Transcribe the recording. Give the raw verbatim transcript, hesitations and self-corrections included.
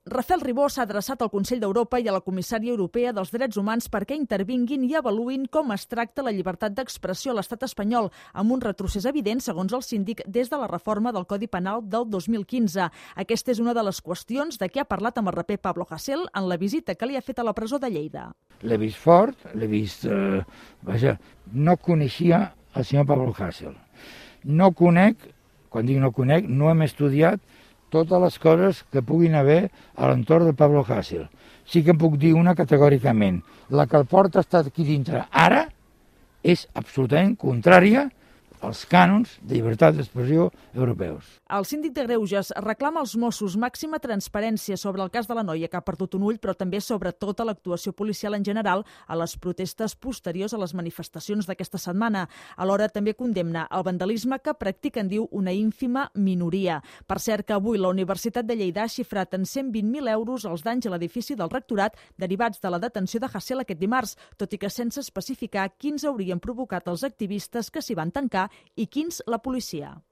Rafael Ribó s'ha adreçat al Consell d'Europa i a la Comissària Europea dels Drets Humans perquè intervinguin i avaluïn com es tracta la llibertat d'expressió a l'estat espanyol, amb un retrocés evident, segons el síndic, des de la reforma del Codi Penal del dos mil quinze. Aquesta és una de les qüestions de què ha parlat amb el raper Pablo Hasél en la visita que li ha fet a la presó de Lleida. L'he vist fort, l'he vist... Eh, vaja, no coneixia el senyor Pablo Hasél. No conec, quan dic no conec, no hem estudiat totes les coses que puguin haver a l'entorn de Pablo Hasél. Sí que em puc dir una categòricament. La que el porta estar aquí dintre ara és absolutament contrària als cànons de llibertat d'expressió europeus. El síndic de Greuges reclama als Mossos màxima transparència sobre el cas de la noia que ha perdut un ull, però també sobre tota l'actuació policial en general a les protestes posteriors a les manifestacions d'aquesta setmana. Alhora també condemna el vandalisme que practiquen, diu, una ínfima minoria. Per cert, que avui la Universitat de Lleida ha xifrat en cent vint mil euros els danys a l'edifici del rectorat derivats de la detenció de Hasél aquest dimarts, tot i que sense especificar quins haurien provocat els activistes que s'hi van tancar i quins la policia.